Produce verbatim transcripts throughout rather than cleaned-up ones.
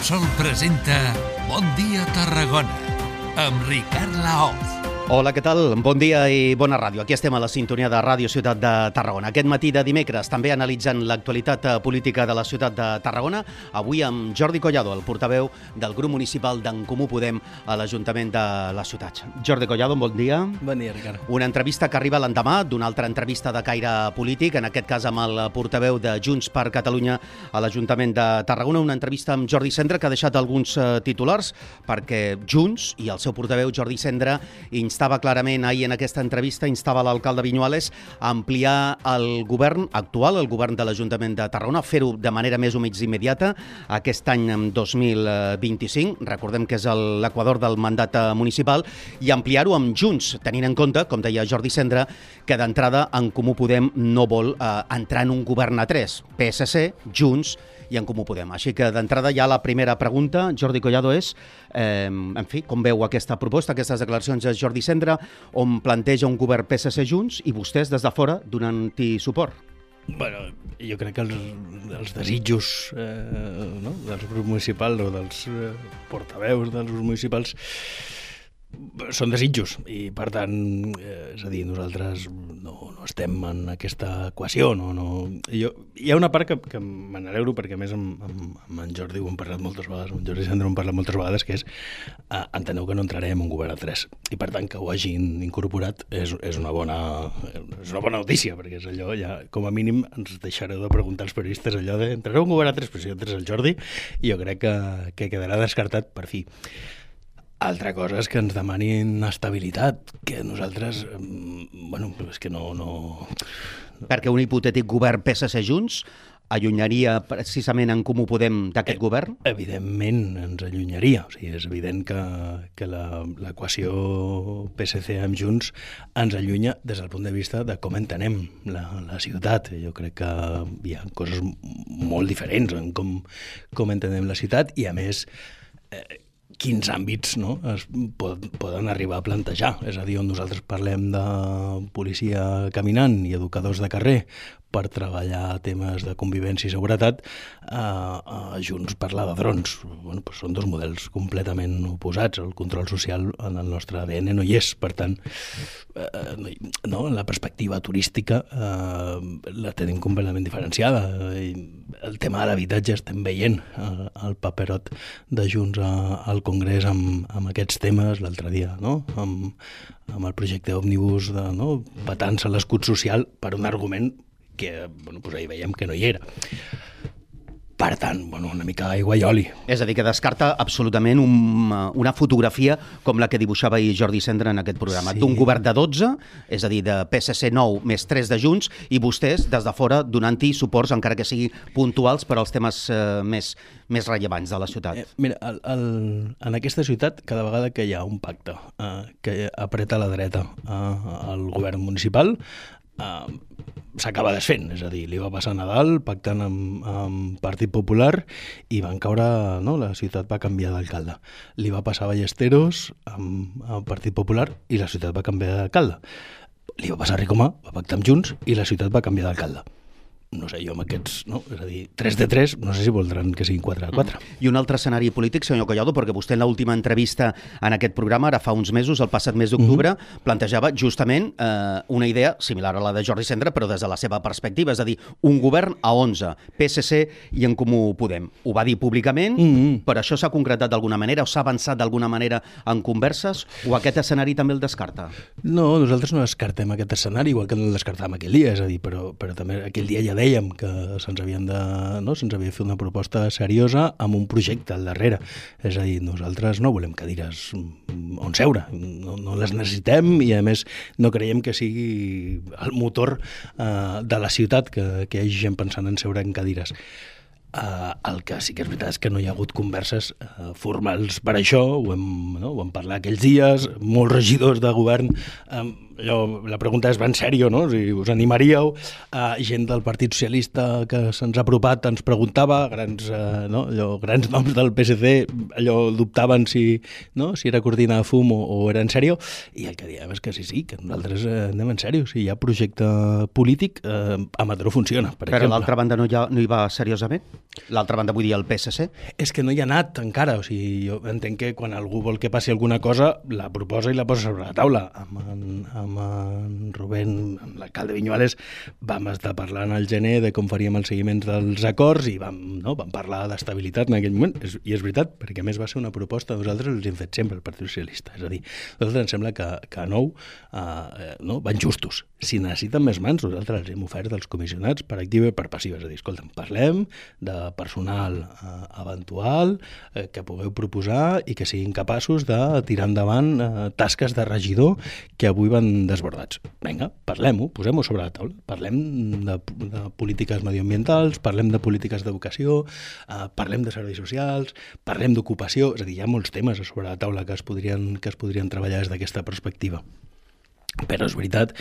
Repsol presenta Bon dia Tarragona amb Ricard Laoz. Hola, què tal? Bon dia i bona ràdio. Aquí estem a la sintonia de Ràdio Ciutat de Tarragona. Aquest matí de dimecres, també analitzant l'actualitat política de la ciutat de Tarragona, avui amb Jordi Collado, el portaveu del grup municipal d'En Comú Podem a l'Ajuntament de la ciutat. Jordi Collado, bon dia. Bon dia, Ricard. Una entrevista que arriba l'endemà d'una altra entrevista de caire polític, en aquest cas amb el portaveu de Junts per Catalunya a l'Ajuntament de Tarragona, una entrevista amb Jordi Cendra que ha deixat alguns titulars perquè Junts i el seu portaveu Jordi Cendra instava clarament ahir en aquesta entrevista, instava l'alcalde Viñuales a ampliar el govern actual, el govern de l'Ajuntament de Tarragona, fer-ho de manera més o menys immediata aquest any dos mil vint-i-cinc, recordem que és l'equador del mandat municipal, i ampliar-ho amb Junts, tenint en compte, com deia Jordi Cendra, que d'entrada En Comú Podem no vol eh, entrar en un govern a tres, P S C, Junts i En Comú Podem. Així que d'entrada ja la primera pregunta, Jordi Collado, és, eh, en fi, com veu aquesta proposta, aquestes declaracions de Jordi Cendra, on planteja un govern P S C Junts i vostès des de fora donant-hi suport? Bueno, jo crec que els, els desitjos eh, no? dels grups municipals o dels eh, portaveus dels grups municipals són desitjos i, per tant, eh, és a dir, nosaltres no, no estem en aquesta equació. No, no. Jo, hi ha una part que, que me n'alegro perquè, a més, amb, amb, amb en Jordi ho hem parlat moltes vegades, amb en Jordi Cendra ho hem parlat moltes vegades, que és, eh, enteneu que no entrarem en un govern a tres. I, per tant, que ho hagin incorporat és, és, una bona, és una bona notícia, perquè és allò, ja, com a mínim, ens deixareu de preguntar als periodistes allò de entrareu en un govern a tres, però si entres el Jordi, i jo crec que, que quedarà descartat per fi. Altra cosa és que ens demanin estabilitat, que nosaltres, bueno, és que no... no... Perquè un hipotètic govern P S C Junts allunyaria precisament En Comú Podem d'aquest eh, govern? Evidentment ens allunyaria. O sigui, és evident que, que l'equació P S C amb Junts ens allunya des del punt de vista de com entenem la, la ciutat. Jo crec que hi ha coses molt diferents en com, com entenem la ciutat i, a més, eh, quins àmbits, no, es pod, poden arribar a plantejar. És a dir, on nosaltres parlem de policia caminant i educadors de carrer per treballar temes de convivència i seguretat, eh, eh, Junts parlar de drons. Bueno, doncs són dos models completament oposats. El control social en el nostre A D N no hi és. Per tant, eh, no, la perspectiva turística eh, la tenim completament diferenciada. El tema de l'habitatge estem veient eh, el paperot de Junts a, al Congrés amb, amb aquests temes l'altre dia, no? amb, amb el projecte òmnibus de, no? Patant-se l'escut social per un argument que, bueno, doncs ahir veiem que no hi era. Per tant, bueno, una mica aigua i oli. És a dir, que descarta absolutament un, una fotografia com la que dibuixava ahir Jordi Cendra en aquest programa, sí, d'un govern de dotze, és a dir, de P S C nou més tres de Junts, i vostès, des de fora, donant-hi suports, encara que sigui puntuals, per als temes eh, més, més rellevants de la ciutat. Eh, mira, el, el, en aquesta ciutat, cada vegada que hi ha un pacte eh, que apreta la dreta eh, al govern municipal, Uh, s'acaba desfent, és a dir, li va passar a Nadal pactant amb, amb Partit Popular i van caure, no? La ciutat va canviar d'alcalde. Li va passar a Ballesteros amb, amb Partit Popular i la ciutat va canviar d'alcalde. Li va passar a Ricomà, va pactar amb Junts i la ciutat va canviar d'alcalde. No sé, jo amb aquests, no? És a dir, tres de tres, no sé si voldran que siguin quatre de quatre. I un altre escenari polític, senyor Collado, perquè vostè en l'última entrevista en aquest programa, ara fa uns mesos, el passat mes d'octubre, uh -huh. plantejava justament eh, una idea similar a la de Jordi Cendra, però des de la seva perspectiva, és a dir, un govern a onze, P S C i En Comú Podem. Ho va dir públicament, uh -huh. però això s'ha concretat d'alguna manera o s'ha avançat d'alguna manera en converses, o aquest escenari també el descarta? No, nosaltres no descartem aquest escenari, igual que no el descartàvem aquell dia, és a dir, però, però també aquell dia ja dèiem que se'ns havien de, no, se'ns havia de fer una proposta seriosa amb un projecte al darrere. És a dir, nosaltres no volem cadires on seure, no, no les necessitem i, a més, no creiem que sigui el motor eh, de la ciutat que, que hi hagi gent pensant en seure en cadires. Uh, el que sí que és veritat és que no hi ha hagut converses uh, formals per això, ho hem, no? ho hem parlat aquells dies, molts regidors de govern um, allò, la pregunta és ben sèrio, no? Si us animaríeu, uh, gent del Partit Socialista que se'ns ha apropat ens preguntava, grans, uh, no? allò, grans noms del P S C, allò dubtaven si, no? si era cortina de fum o, o era en sèrio, i el que diem és que sí, sí, que nosaltres uh, anem en sèrio. Si hi ha projecte polític, uh, a Mataró funciona, per Però exemple. l'altra banda no hi, ha, no hi va seriosament? L'altra banda vull dir el P S C? És que no hi ha anat encara, o sigui, jo entenc que quan algú vol que passi alguna cosa, la proposa i la posa sobre la taula. Amb en, amb en Rubén, amb l'alcalde Viñuales, vam estar parlant al gener de com faríem els seguiments dels acords i vam, no, vam parlar d'estabilitat en aquell moment, és, i és veritat, perquè a més va ser una proposta, nosaltres els hem fet sempre el Partit Socialista, és a dir, nosaltres ens sembla que, que a nou eh, no, van justos. Si necessiten més mans, nosaltres els hem ofert als comissionats per activa i per passiva, és a dir, escolta'm, parlem de personal eh, eventual eh, que pugueu proposar i que siguin capaços de tirar endavant eh, tasques de regidor que avui van desbordats. Vinga, parlem-ho, posem-ho sobre la taula. Parlem de, de polítiques medioambientals, parlem de polítiques d'educació, eh, parlem de serveis socials, parlem d'ocupació, és a dir, hi ha molts temes a sobre la taula que es podrien, que es podrien treballar des d'aquesta perspectiva. Però és veritat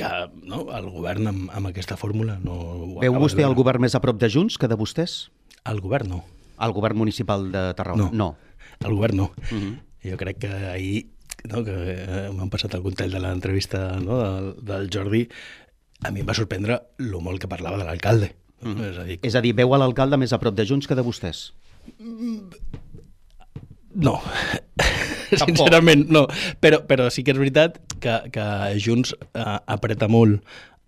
que no, el govern amb, amb aquesta fòrmula no... Veu vostè el govern més a prop de Junts que de vostès? El govern no. El govern municipal de Tarragona? No. no. El govern no. Uh -huh. Jo crec que ahir, no, que m'han passat algun tall de l'entrevista no, del, del Jordi, a mi em va sorprendre lo molt que parlava de l'alcalde. Uh -huh. És a dir, és a dir, veu a l'alcalde més a prop de Junts que de vostès? No, sincerament no, però, però sí que és veritat que, que Junts eh, apreta molt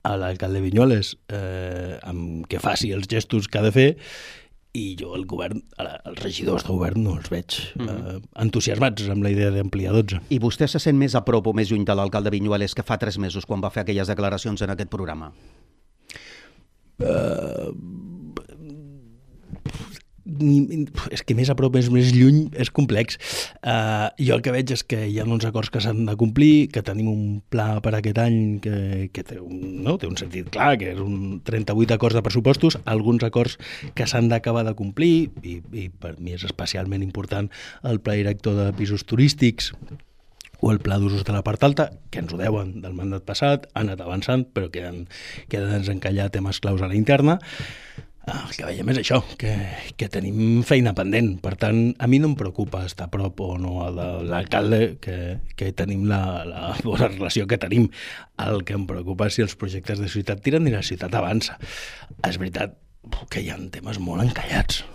a l'alcalde Viñuales eh, amb que faci els gestos que ha de fer, i jo el govern, els regidors de govern no els veig eh, entusiasmats amb la idea d'ampliar dotze. I vostè se sent més a prop o més lluny de l'alcalde Viñuales que fa tres mesos quan va fer aquelles declaracions en aquest programa? Uh, Ni, és que més a prop, més, més lluny és complex. Uh, jo el que veig és que hi ha uns acords que s'han de complir, que tenim un pla per aquest any que, que té, un, no? té un sentit clar, que és un trenta-vuit acords de pressupostos, alguns acords que s'han d'acabar de complir, i, i per mi és especialment important el pla director de pisos turístics o el pla d'usos de la part alta, que ens ho deuen del mandat passat, han anat avançant, però queden, queden desencallar temes claus a la interna. El que veiem és això, que, que tenim feina pendent. Per tant, a mi no em preocupa estar a prop o no de l'alcalde, que, que tenim la, la bona relació que tenim. El que em preocupa és si els projectes de ciutat tiren i la ciutat avança. És veritat que hi ha temes molt encallats,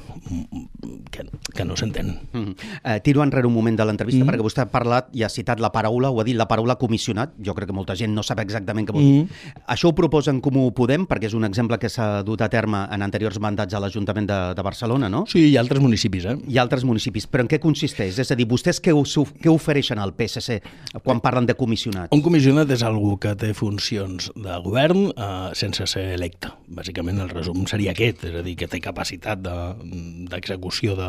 que, que no s'entenen. Mm. Eh, tiro enrere un moment de l'entrevista, mm. perquè vostè ha parlat i ha citat la paraula, o ha dit la paraula comissionat. Jo crec que molta gent no sap exactament què vol dir. Mm. Això ho proposa en Comú Podem, perquè és un exemple que s'ha dut a terme en anteriors mandats a l'Ajuntament de, de Barcelona, no? Sí, hi ha altres municipis, eh? Hi ha altres municipis. Però en què consisteix? És a dir, vostès què, què ofereixen al P S C quan parlen de comissionat? Un comissionat és algú que té funcions de govern eh, sense ser electe. Bàsicament el resum seria aquest, és a dir, que té capacitat d'execució de,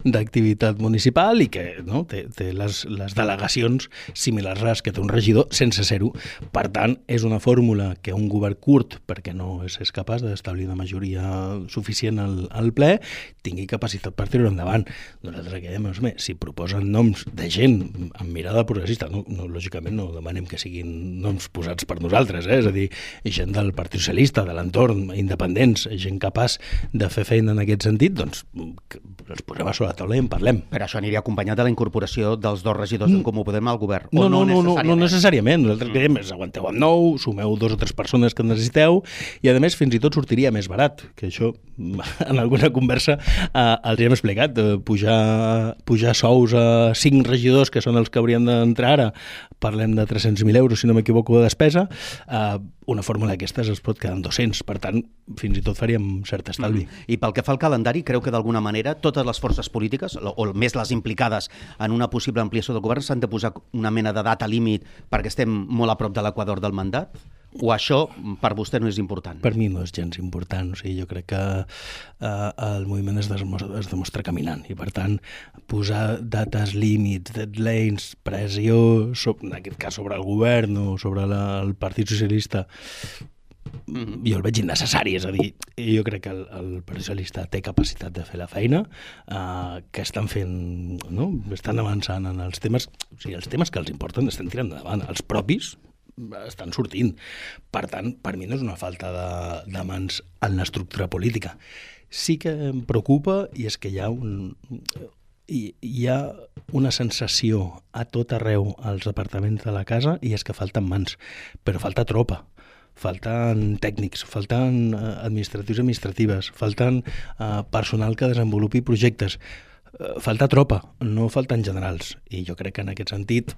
d'activitat municipal i que no, té, té les, les delegacions similars a les que té un regidor sense ser-ho. Per tant, és una fórmula que un govern curt, perquè no és, és capaç d'establir una majoria suficient al, al ple, tingui capacitat per tirar endavant. Nosaltres aquí dèiem, si proposen noms de gent amb mirada progressista, no, no, lògicament no demanem que siguin noms posats per nosaltres, eh? És a dir, gent del Partit Socialista, de l'entorn, independents, gent capaç de fer feina en aquest sentit, doncs els posem a sobre la taula i en parlem. Però això aniria acompanyat de la incorporació dels dos regidors en Comú Podem al govern? No, no, no, no, no necessàriament. Nosaltres creiem és aguanteu amb nou, sumeu dos o tres persones que necessiteu i, a més, fins i tot sortiria més barat, que això en alguna conversa eh, els hem explicat. Eh, pujar, pujar sous a cinc regidors, que són els que haurien d'entrar ara, parlem de tres-cents mil euros, si no m'equivoco, de despesa, eh, una fórmula d'aquestes es pot quedar en dos-cents, per tant, fins i tot faríem cert estalvi. Mm. I pel que fa al calendari, creu que d'alguna manera totes les forces polítiques, o més les implicades en una possible ampliació del govern, s'han de posar una mena de data límit perquè estem molt a prop de l'equador del mandat? O això per vostè no és important? Per mi no és gens important. O sigui, jo crec que eh, el moviment es demostra, es demostra caminant i, per tant, posar dates límits, deadlines, pressió, sobre, en aquest cas sobre el govern o sobre la, el Partit Socialista, mm-hmm. jo el veig innecessari. És a dir, jo crec que el, el Partit Socialista té capacitat de fer la feina, eh, que estan fent, no? Estan avançant en els temes, o sigui, els temes que els importen estan tirant endavant, els propis, estan sortint. Per tant, per mi no és una falta de, de mans en l'estructura política. Sí que em preocupa i és que hi ha un... Hi, hi ha una sensació a tot arreu als departaments de la casa i és que falten mans, però falta tropa. Falten tècnics, falten administratius i administratives, falten uh, personal que desenvolupi projectes, uh, falta tropa, no falten generals. I jo crec que en aquest sentit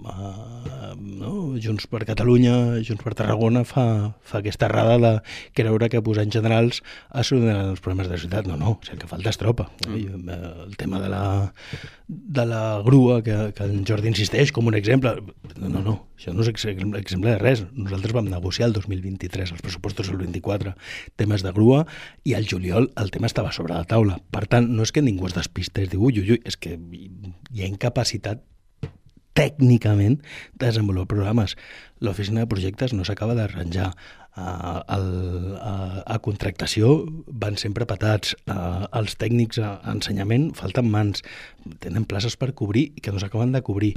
uh, no? Junts per Catalunya, Junts per Tarragona fa, fa aquesta errada de creure que posant generals es solucionaran els problemes de la ciutat. No, no, si el que falta és tropa. Mm. El tema de la, de la grua, que, que en Jordi insisteix com un exemple, no, no, no, això no és exemple de res. Nosaltres vam negociar el dos mil vint-i-tres, els pressupostos del vint-i-quatre, temes de grua, i al juliol el tema estava sobre la taula. Per tant, no és que ningú es despistés, diu, ui, ui, ui, és que hi ha incapacitat tècnicament de desenvolupar programes. L'oficina de projectes no s'acaba d'arranjar. Uh, el, uh, a contractació van sempre patats. Uh, els tècnics a ensenyament falten mans. Tenen places per cobrir i que no s'acaben de cobrir.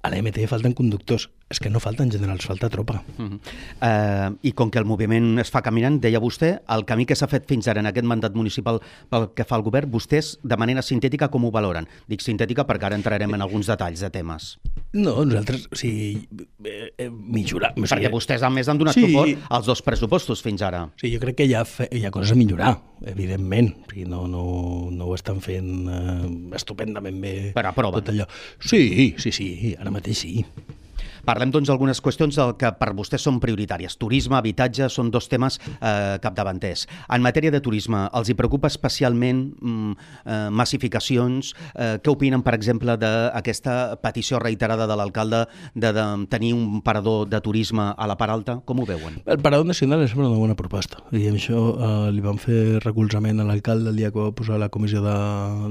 A l'E M T falten conductors. És que no falten generals, falta tropa. Uh-huh. Uh, I com que el moviment es fa caminant, deia vostè, el camí que s'ha fet fins ara en aquest mandat municipal pel que fa al govern, vostès, de manera sintètica, com ho valoren? Dic sintètica perquè ara entrarem en alguns detalls de temes. No, nosaltres, o sigui, eh, eh, millorar... O sigui, perquè vostès, a més, han donat sí. suport als dos pressupostos fins ara. Sí, jo crec que hi ha, fe, hi ha coses a millorar, evidentment. O sigui, no, no, no ho estan fent eh, estupendament bé. Però aproven. Tot allò. Sí, sí, sí, ara mateix sí. Parlem, doncs, d'algunes qüestions del que per vostès són prioritàries. Turisme, habitatge, són dos temes eh, capdavanters. En matèria de turisme, els hi preocupa especialment mm, eh, massificacions? Eh, què opinen, per exemple, d'aquesta petició reiterada de l'alcalde de, de tenir un parador de turisme a la part alta? Com ho veuen? El parador nacional és una bona proposta. I això eh, li vam fer recolzament a l'alcalde el dia que va posar la comissió de,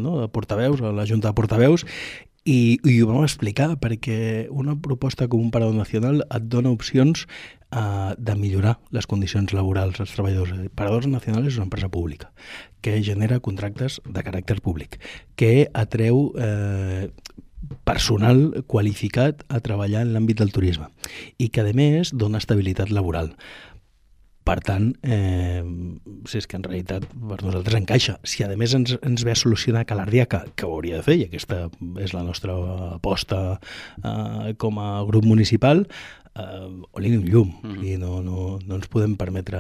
no, de portaveus, a la Junta de Portaveus, I, i ho vam explicar perquè una proposta com un parador nacional et dona opcions uh, de millorar les condicions laborals dels treballadors. Paradors Nacional és una empresa pública que genera contractes de caràcter públic, que atreu eh, personal qualificat a treballar en l'àmbit del turisme i que, a més, dona estabilitat laboral. Per tant, eh, si és que en realitat per nosaltres encaixa. Si a més ens, ens ve a solucionar Calardiaca, que ho hauria de fer, i aquesta és la nostra aposta eh, com a grup municipal, eh, oli un llum. Mm -hmm. I no, no, no ens podem permetre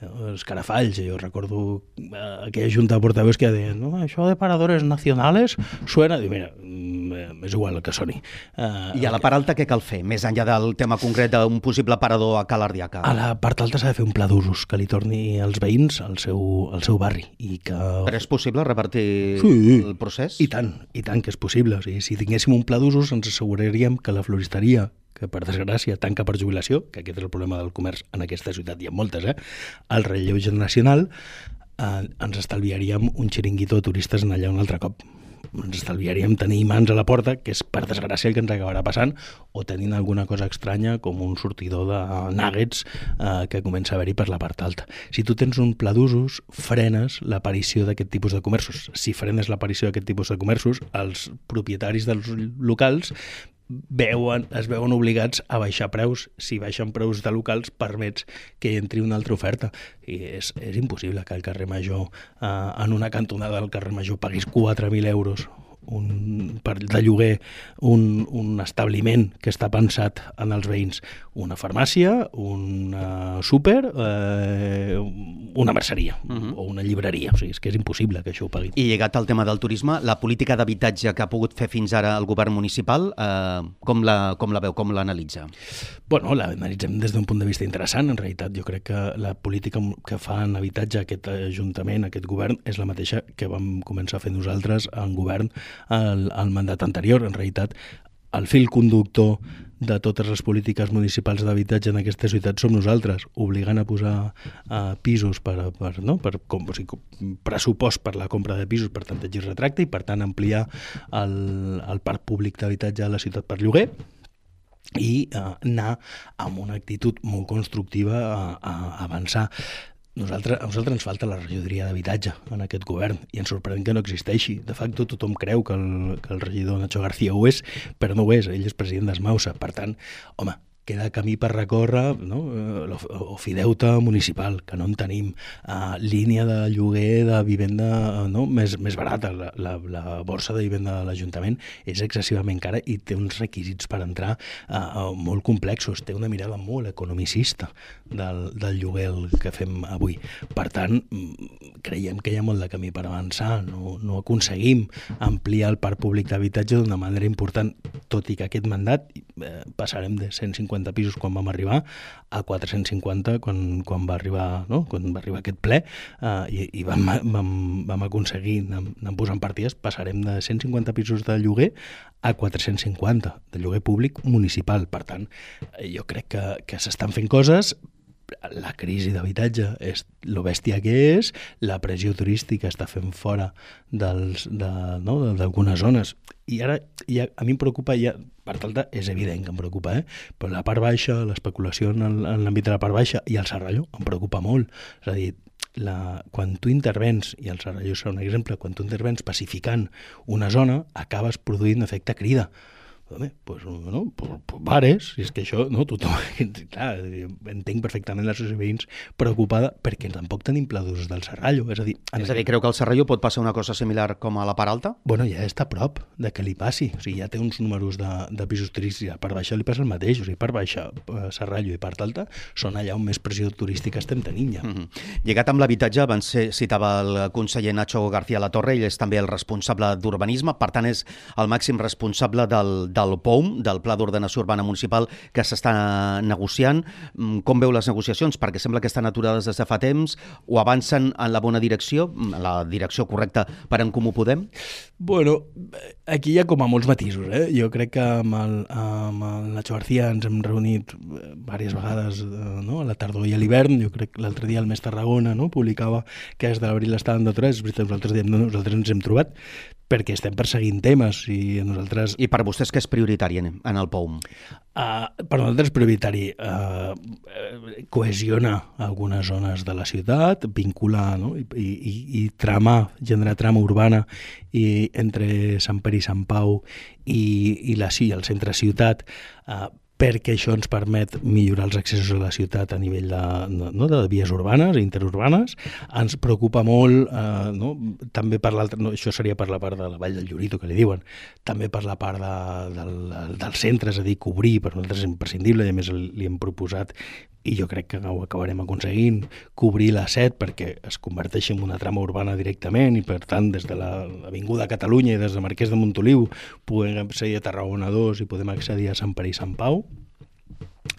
eh, escarafalls. Jo recordo eh, aquella junta de portaveus que deien, no, això de paradores nacionales suena... Diu, mira, és igual el que soni. Uh, I a la part alta què cal fer? Més enllà del tema concret d'un possible parador a Calardiaca. A la part alta s'ha de fer un pla d'usos que li torni als veïns al seu, al seu barri. I que... Però és possible revertir sí, el procés? I tant, i tant que és possible. O sigui, si tinguéssim un pla d'usos ens asseguraríem que la floristeria, que per desgràcia tanca per jubilació, que aquest és el problema del comerç en aquesta ciutat, hi ha moltes, eh? El relleu generacional, eh, ens estalviaríem un xiringuito de turistes en allà un altre cop. Ens estalviaríem tenir imants a la porta, que és per desgràcia el que ens acabarà passant, o tenint alguna cosa estranya com un sortidor de nuggets eh, que comença a haver-hi per la part alta. Si tu tens un pla d'usos, frenes l'aparició d'aquest tipus de comerços. Si frenes l'aparició d'aquest tipus de comerços, els propietaris dels locals veuen, es veuen obligats a baixar preus. Si baixen preus de locals permets que hi entri una altra oferta i és, és impossible que al carrer Major eh, en una cantonada del carrer Major paguis quatre mil euros un, per, de lloguer un, un establiment que està pensat en els veïns, una farmàcia, un uh, súper, eh, una merceria uh-huh. o una llibreria. O sigui, és que és impossible que això ho pagui. I lligat al tema del turisme, la política d'habitatge que ha pogut fer fins ara el govern municipal, eh, com, la, com la veu, com l'analitza? Bueno, l'analitzem des d'un punt de vista interessant. En realitat, jo crec que la política que fa en habitatge aquest ajuntament, aquest govern, és la mateixa que vam començar a fer nosaltres en govern al, al mandat anterior. En realitat, el fil conductor de totes les polítiques municipals d'habitatge en aquesta ciutat som nosaltres, obligant a posar uh, pisos per, per, no? per com, o sigui, pressupost per la compra de pisos per tanteig i retracte i, per tant, ampliar el, el parc públic d'habitatge a la ciutat per lloguer i uh, anar amb una actitud molt constructiva a, a avançar. Nosaltres, a nosaltres ens falta la regidoria d'habitatge en aquest govern i ens sorprèn que no existeixi. De facto, tothom creu que el, que el regidor Nacho García ho és, però no ho és. Ell és president d'Esmausa. Per tant, home, queda camí per recórrer, no? Ofideute municipal, que no en tenim, uh, línia de lloguer de vivenda, no? més, més barata. La, la, la borsa de vivenda de l'Ajuntament és excessivament cara i té uns requisits per entrar uh, molt complexos, té una mirada molt economicista del, del lloguer que fem avui. Per tant, creiem que hi ha molt de camí per avançar, no, no aconseguim ampliar el parc públic d'habitatge d'una manera important, tot i que aquest mandat eh, passarem de cent cinquanta pisos quan vam arribar a quatre-cents cinquanta quan, quan va arribar, no? quan va arribar aquest ple eh, i, i vam, vam, vam aconseguir anar, anar posant partides, passarem de cent cinquanta pisos de lloguer a quatre-cents cinquanta de lloguer públic municipal. Per tant, jo crec que, que s'estan fent coses. La crisi d'habitatge és lo bèstia que és, la pressió turística està fent fora dels, de, no, d'algunes zones. I ara ja, a mi em preocupa, ja, per alta és evident que em preocupa, eh? però la part baixa, l'especulació en, el, en l'àmbit de la part baixa i el Serrallo em preocupa molt. És a dir, la, quan tu intervens, i el Serrallo serà un exemple, quan tu intervens pacificant una zona, acabes produint efecte crida. Home, pues, no, pues, pues bares, i és que això, no, tothom, clar, entenc perfectament la associació de veïns preocupada perquè tampoc tenim pla d'ús del Serrallo, és a dir... És a dir, creu que al Serrallo pot passar una cosa similar com a la part alta? Bueno, ja està a prop de que li passi, o sigui, ja té uns números de, de pisos turístics, a part baixa li passa el mateix, o sigui, part baixa, Serrallo i part alta són allà on més pressió turística estem tenint ja. Mm-hmm. Lligat amb l'habitatge, abans citava el conseller Nacho García Latorre, ell és també el responsable d'urbanisme, per tant és el màxim responsable del del P O U M, del Pla d'Ordenació Urbana Municipal, que s'està negociant. Com veu les negociacions? Perquè sembla que estan aturades des de fa temps, o avancen en la bona direcció, en la direcció correcta per En Comú Podem? Bueno, aquí hi ha com a molts matisos, eh? Jo crec que amb el, amb el Nacho García ens hem reunit diverses vegades, no? A la tardor i a l'hivern. Jo crec que l'altre dia el Mes Tarragona, no? Publicava que des de l'abril estaven d'aturats. És veritat, nosaltres diem, no, nosaltres ens hem trobat perquè estem perseguint temes i nosaltres... I per vostès què és prioritari en el P O U M? Uh, per nosaltres és prioritari uh, cohesionar algunes zones de la ciutat, vincular, no? I, i, i tramar, generar trama urbana i entre Sant Pere i Sant Pau i, i la sí, el centre ciutat, uh, perquè això ens permet millorar els accessos a la ciutat a nivell de, no, de vies urbanes i interurbanes. Ens preocupa molt, eh, no, també per l'altra, no, això seria per la part de la Vall del Llorito, que li diuen, també per la part de, del, del centre, és a dir, cobrir, per nosaltres és imprescindible, i a més li hem proposat, i jo crec que ho acabarem aconseguint, cobrir la set perquè es converteixi en una trama urbana directament i, per tant, des de l'Avinguda Catalunya i des de Marquès de Montoliu podem accedir a Tarragona dos i podem accedir a Sant Pere i Sant Pau.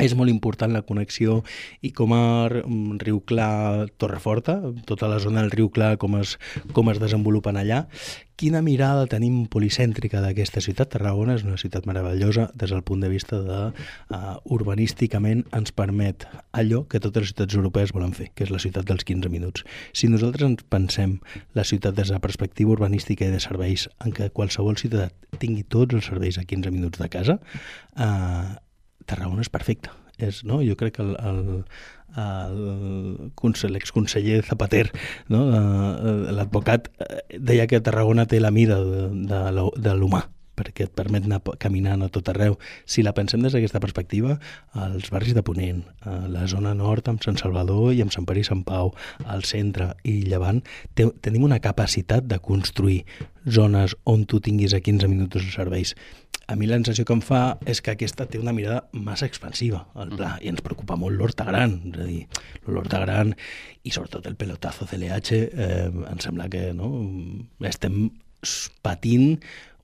És molt important la connexió i com a Riu Clar, Torreforta, tota la zona del Riu Clar, com es, com es desenvolupen allà. Quina mirada tenim policèntrica d'aquesta ciutat? Tarragona és una ciutat meravellosa des del punt de vista de uh, urbanísticament ens permet allò que totes les ciutats europees volen fer, que és la ciutat dels quinze minuts. Si nosaltres ens pensem la ciutat des de la perspectiva urbanística i de serveis, en què qualsevol ciutat tingui tots els serveis a quinze minuts de casa, uh, Tarragona és perfecte. És, no? Jo crec que el, el, el, l'exconseller Zapater, no? l'advocat, deia que Tarragona té la mida de, de, de l'humà, perquè et permet anar caminant a tot arreu. Si la pensem des d'aquesta perspectiva, els barris de Ponent, la zona nord amb Sant Salvador i amb Sant Pere i Sant Pau, al centre i Llevant, te, tenim una capacitat de construir zones on tu tinguis a quinze minuts els serveis. A mi la sensació que em fa és que aquesta té una mirada massa expansiva al pla i ens preocupa molt l'Horta Gran, és a dir, l'Horta Gran i sobretot el pelotazo C L H, eh, em sembla que no, estem patint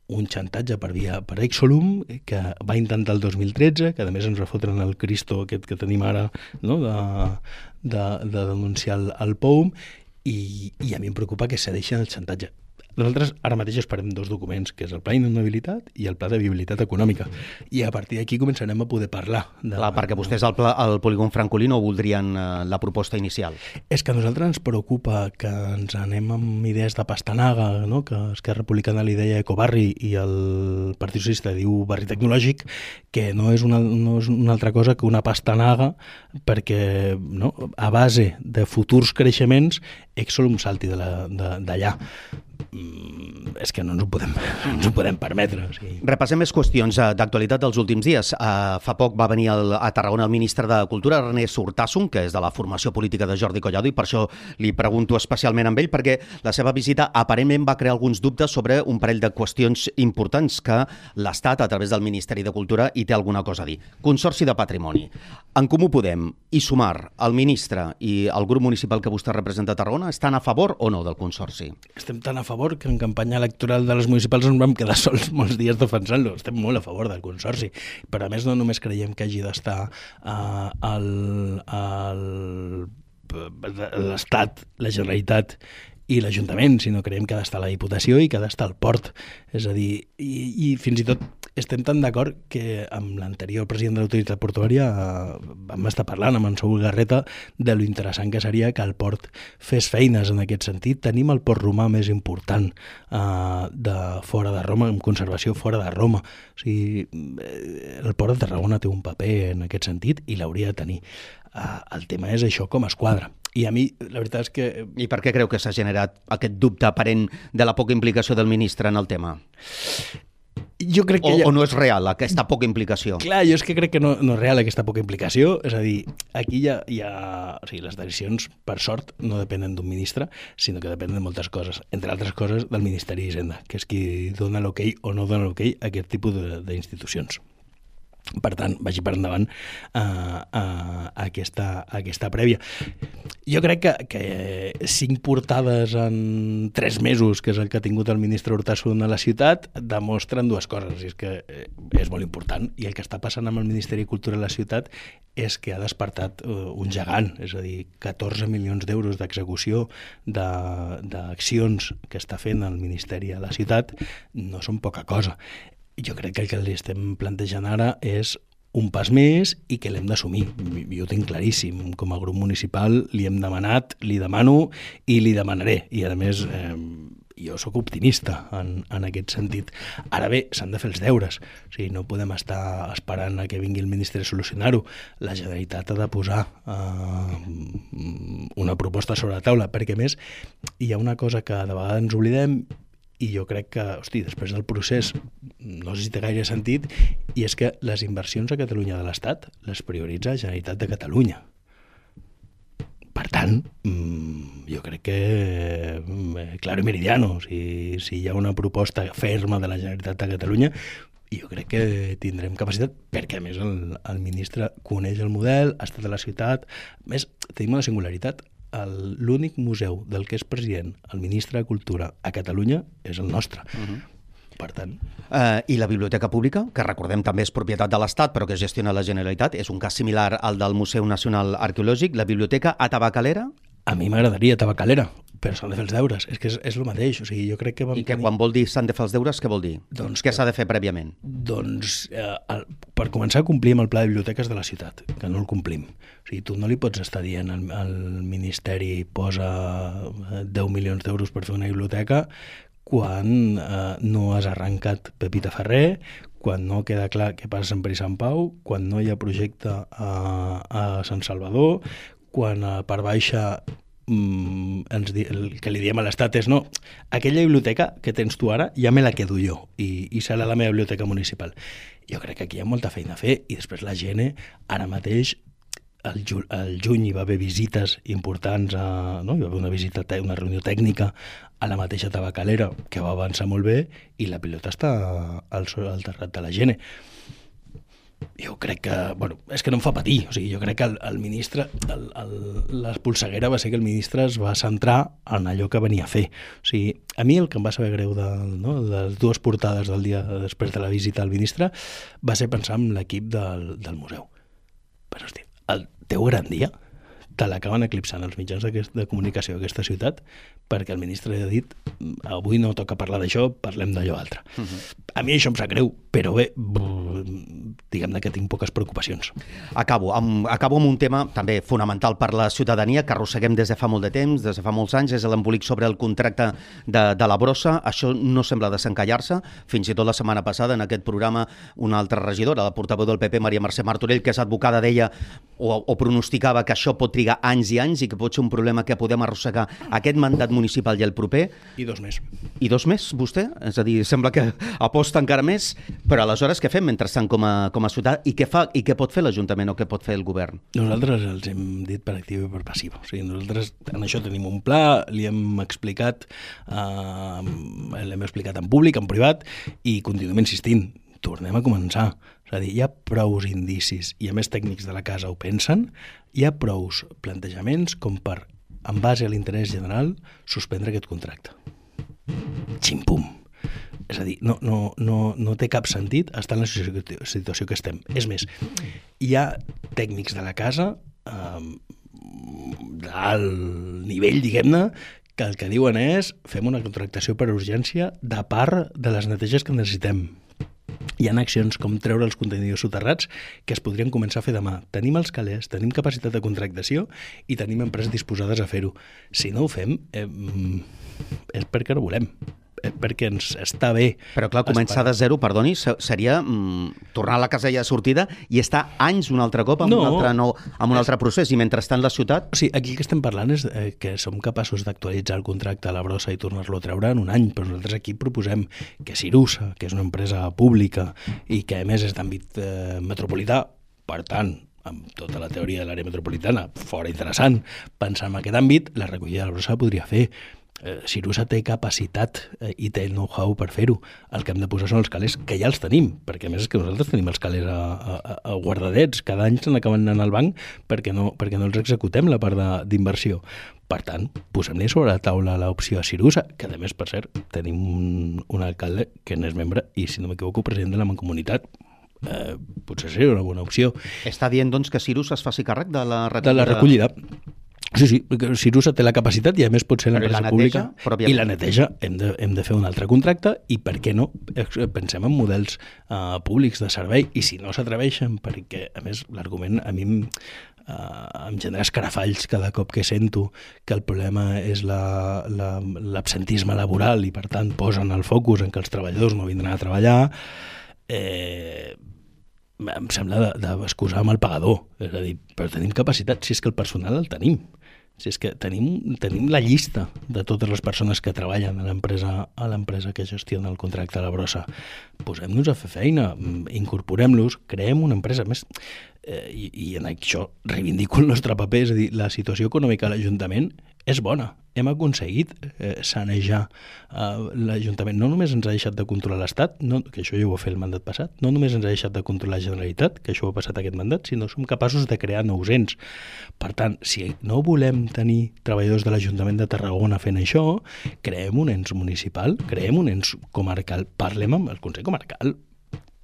un xantatge per via per Exolum que va intentar el dos mil tretze, que a més ens va fotre el Cristo aquest que tenim ara, no, de, de, de denunciar el, el P O U M i, i a mi em preocupa que cedeixen el xantatge. Nosaltres ara mateix esperem dos documents, que és el Pla d'Inundabilitat i el Pla de Viabilitat Econòmica. I a partir d'aquí començarem a poder parlar. De... Clar, perquè vostès al, pla, al polígon francolí no voldrien eh, la proposta inicial. És que a nosaltres ens preocupa que ens anem amb idees de pastanaga, no? Que Esquerra Republicana li deia ecobarri i el Partit Socialista diu barri tecnològic, que no és una, no és una altra cosa que una pastanaga perquè, no? A base de futurs creixements Exolum salti d'allà. és que no ens ho podem, no ens ho podem permetre. O sigui. Repassem més qüestions d'actualitat dels últims dies. Uh, fa poc va venir el, a Tarragona el ministre de Cultura, Ernest Urtasun, que és de la formació política de Jordi Collado, i per això li pregunto especialment amb ell, perquè la seva visita aparentment va crear alguns dubtes sobre un parell de qüestions importants que l'Estat, a través del Ministeri de Cultura, hi té alguna cosa a dir. Consorci de Patrimoni. En Comú Podem i Sumar, el ministre i el grup municipal que vostè representa a Tarragona, estan a favor o no del Consorci? Estem tan a favor que en campanya electoral de les municipals ens vam quedar sols molts dies defensant-lo. Estem molt a favor del Consorci. Però a més no només creiem que hagi d'estar uh, el, el, l'Estat, la Generalitat i l'Ajuntament, sinó creiem que ha d'estar la Diputació i que ha d'estar el port. És a dir, i, i fins i tot estem tan d'acord que amb l'anterior president de l'autoritat portuària eh, vam estar parlant amb en Saúl Garreta de lo interessant que seria que el port fes feines en aquest sentit. Tenim el port romà més important eh, de fora de Roma, en conservació fora de Roma. O sigui, el port de Tarragona té un paper en aquest sentit i l'hauria de tenir. Eh, el tema és això com es quadra. I a mi, la veritat és que... I per què creu que s'ha generat aquest dubte aparent de la poca implicació del ministre en el tema? Jo crec que o, ja... o no és real aquesta poca implicació? Clar, jo és que crec que no, no és real aquesta poca implicació. És a dir, aquí hi ha... Hi ha o sigui, les decisions, per sort, no depenen d'un ministre, sinó que depenen de moltes coses. Entre altres coses, del Ministeri d'Hisenda, que és qui dona l'ok o no dona l'ok a aquest tipus d'institucions. Per tant, vagi per endavant uh, uh, aquesta, aquesta prèvia. Jo crec que, que cinc portades en tres mesos, que és el que ha tingut el ministre Urtasun a la ciutat, demostren dues coses. I és que és molt important. I el que està passant amb el Ministeri de Cultura a la ciutat és que ha despertat uh, un gegant. És a dir, catorze milions d'euros d'execució de, d'accions que està fent el Ministeri a la ciutat no són poca cosa. Jo crec que el que li estem plantejant ara és un pas més i que l'hem d'assumir. Jo ho tinc claríssim. Com a grup municipal li hem demanat, li demano i li demanaré. I a més, eh, jo sóc optimista en, en aquest sentit. Ara bé, s'han de fer els deures. O sigui, no podem estar esperant a que vingui el ministre a solucionar-ho. La Generalitat ha de posar eh, una proposta sobre la taula, perquè a més hi ha una cosa que de vegades ens oblidem i jo crec que, hosti, després del procés no sé si té gaire sentit, i és que les inversions a Catalunya de l'Estat les prioritza la Generalitat de Catalunya. Per tant, jo crec que claro i meridiano, si, si hi ha una proposta ferma de la Generalitat de Catalunya, jo crec que tindrem capacitat, perquè a més el, el ministre coneix el model, ha estat a la ciutat. A més, tenim una singularitat. El, l'únic museu del que és president el ministre de Cultura a Catalunya és el nostre. Uh-huh. Per tant... Uh, I la Biblioteca Pública, que recordem també és propietat de l'Estat, però que gestiona la Generalitat, és un cas similar al del Museu Nacional Arqueològic. La Biblioteca a Tabacalera? A mi m'agradaria Tabacalera, però s'han de fer els deures. És que és, és el mateix. O sigui, jo crec que vam I que tenir... quan vol dir s'han de fer els deures, què vol dir? Doncs què que... s'ha de fer prèviament? Doncs, eh, el, per començar, complim el pla de biblioteques de la ciutat, que no el complim. O sigui, tu no li pots estar dient al, al Ministeri posa deu milions d'euros per fer una biblioteca quan eh, no has arrencat Pepita Ferrer, quan no queda clar què passa a Sant Pere i Sant Pau, quan no hi ha projecte a, a Sant Salvador, quan a part baixa mm, ens di, el que li diem a l'Estat és no, aquella biblioteca que tens tu ara ja me la quedo jo i, i serà la meva biblioteca municipal. Jo crec que aquí hi ha molta feina a fer i després la gent ara mateix el, ju, el juny hi va haver visites importants, a, no? Hi va haver una visita, una reunió tècnica a la mateixa Tabacalera que va avançar molt bé i la pilota està al, al terrat de la gent. Jo crec que, bueno, és que no em fa patir, o sigui, jo crec que el, el ministre, el, el, l'espolseguera va ser que el ministre es va centrar en allò que venia a fer. O sigui, a mi el que em va saber greu de, no, de les dues portades del dia després de la visita al ministre va ser pensar en l'equip del, del museu. Però, hosti, el teu gran dia te l'acaben eclipsant els mitjans de comunicació d'aquesta ciutat perquè el ministre ha dit avui no toca parlar d'això, parlem d'allò altre. Uh-huh. A mi això em sap greu, però bé, diguem-ne que tinc poques preocupacions. Acabo amb, acabo amb un tema també fonamental per la ciutadania que arrosseguem des de fa molt de temps, des de fa molts anys, és l'embolic sobre el contracte de, de la brossa. Això no sembla desencallar-se. Fins i tot la setmana passada en aquest programa una altra regidora, la portaveu del P P, Maria Mercè Martorell, que és advocada, deia o, o pronosticava que això pot trigar anys i anys i que pot ser un problema que podem arrossegar aquest mandat municipal i el proper. I dos més. I dos més, vostè? És a dir, sembla que aposta encara més, però aleshores què fem mentrestant com a, com a ciutat i què fa i què pot fer l'Ajuntament o què pot fer el govern? Nosaltres els hem dit per activa i per passiva. O sigui, nosaltres en això tenim un pla, li hem explicat, eh, l'hem explicat en públic, en privat, i continuem insistint. Tornem a començar. És a dir, hi ha prous indicis, i a més tècnics de la casa ho pensen, hi ha prous plantejaments com per, en base a l'interès general, suspendre aquest contracte. Ximpum. És a dir, no, no, no, no té cap sentit estar en la situació que estem. És més, hi ha tècnics de la casa eh, d'alt nivell, diguem-ne, que el que diuen és fem una contractació per urgència de part de les neteges que necessitem. Hi ha accions com treure els contenidors soterrats que es podrien començar a fer demà. Tenim els calés, tenim capacitat de contractació i tenim empreses disposades a fer-ho. Si no ho fem, eh, és perquè no volem. Perquè ens està bé. Però clar, començar de zero, perdoni, seria mm, tornar a la casella de sortida i estar anys un altre cop amb, no, un, altre, no, amb un altre procés, i mentrestant la ciutat... O sigui, aquí el que estem parlant és eh, que som capaços d'actualitzar el contracte a la brossa i tornar-lo a treure en un any, però nosaltres aquí proposem que Cirusa, que és una empresa pública i que a més és d'àmbit eh, metropolità, per tant, amb tota la teoria de l'àrea metropolitana, fora interessant, pensar en aquest àmbit, la recollida de la brossa podria fer. Cirusa té capacitat eh, i té el know-how per fer-ho. El que hem de posar són els calés, que ja els tenim, perquè a més és que nosaltres tenim els calés a, a, a guardadets, cada any se n'acaben anant al banc perquè no, perquè no els executem la part d'inversió. Per tant, posem-li sobre la taula l'opció a Cirusa, que a més, per cert, tenim un, un alcalde que n'és membre i, si no m'equivoco, president de la Mancomunitat. Eh, potser seria una bona opció. Està dient, doncs, que Cirusa es faci càrrec de la recollida? De la recollida. Sí, sí, Cirusa té la capacitat i a més pot ser l'empresa pública i la neteja. Hem de, hem de fer un altre contracte i per què no? Pensem en models uh, públics de servei i si no s'atreveixen, perquè a més l'argument a mi em, uh, em genera escarafalls cada cop que sento que el problema és la, la, l'absentisme laboral i per tant posen el focus en que els treballadors no vindran a treballar, eh, em sembla d'excusar amb el pagador. És a dir, però tenim capacitat, si és que el personal el tenim. Si és que tenim, tenim la llista de totes les persones que treballen a l'empresa a l'empresa que gestiona el contracte a la brossa. Posem-nos a fer feina, incorporem-los, creem una empresa. Més, eh, i, i en això reivindico el nostre paper, és a dir, la situació econòmica a l'Ajuntament és bona. Hem aconseguit eh, sanejar eh, l'Ajuntament. No només ens ha deixat de controlar l'Estat, no, que això ja ho va fer el mandat passat, no només ens ha deixat de controlar la Generalitat, que això ho ha passat aquest mandat, sinó som capaços de crear nous ens. Per tant, si no volem tenir treballadors de l'Ajuntament de Tarragona fent això, creem un ens municipal, creem un ens comarcal, parlem amb el Consell Comarcal.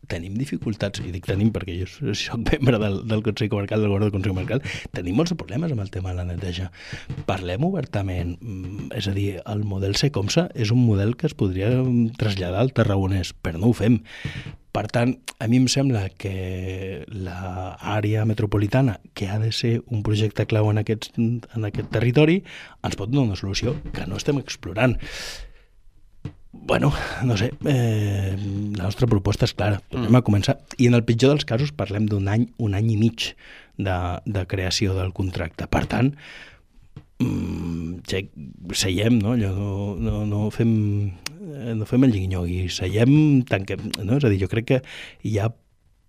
Tenim dificultats, i dic tenim perquè jo soc membre del, del Consell Comarcal, del Govern del Consell Comarcal, tenim molts problemes amb el tema de la neteja. Parlem obertament, és a dir, el model Secomsa és un model que es podria traslladar al tarragonès, però no ho fem. Per tant, a mi em sembla que l'àrea metropolitana, que ha de ser un projecte clau en aquest, en aquest territori, ens pot donar una solució que no estem explorant. Bueno, no sé, eh, la nostra proposta és clara, tornem a començar, i en el pitjor dels casos parlem d'un any, un any i mig de, de creació del contracte. Per tant, mm, seiem, no? Allò, no, no, no fem no fem el lliguinyogui, seiem, tanquem, no? És a dir, jo crec que hi ha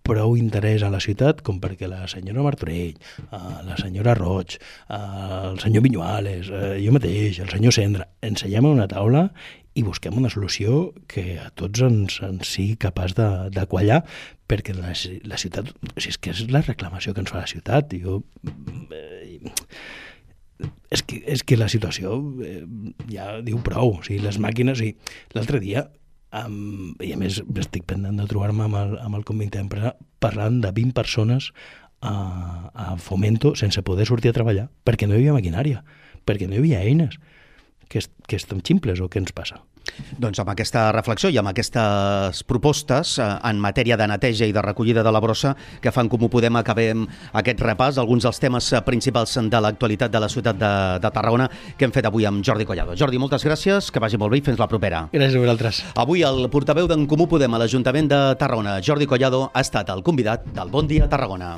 prou interès a la ciutat com perquè la senyora Martorell, la senyora Roig, el senyor Viñuales, jo mateix, el senyor Cendra, ens seiem a una taula i busquem una solució que a tots ens, ens sigui capaç de, de quallar, perquè la, la ciutat, o sigui, és que és la reclamació que ens fa la ciutat. Jo, eh, és, que, és que la situació eh, ja diu prou. O sigui, les màquines... O sigui, l'altre dia, um, i a més estic pendent de trobar-me amb el, amb el comitè d'empresa, parlant de vint persones a, a Fomento sense poder sortir a treballar, perquè no hi havia maquinària, perquè no hi havia eines. Que, és, que és tan ximples o què ens passa? Doncs amb aquesta reflexió i amb aquestes propostes eh, en matèria de neteja i de recollida de la brossa que fan Comú Podem acabem aquest repàs, alguns dels temes principals de l'actualitat de la ciutat de, de Tarragona que hem fet avui amb Jordi Collado. Jordi, moltes gràcies, que vagi molt bé i fins la propera. Gràcies a vosaltres. Avui el portaveu d'en Comú Podem a l'Ajuntament de Tarragona, Jordi Collado, ha estat el convidat del Bon Dia Tarragona.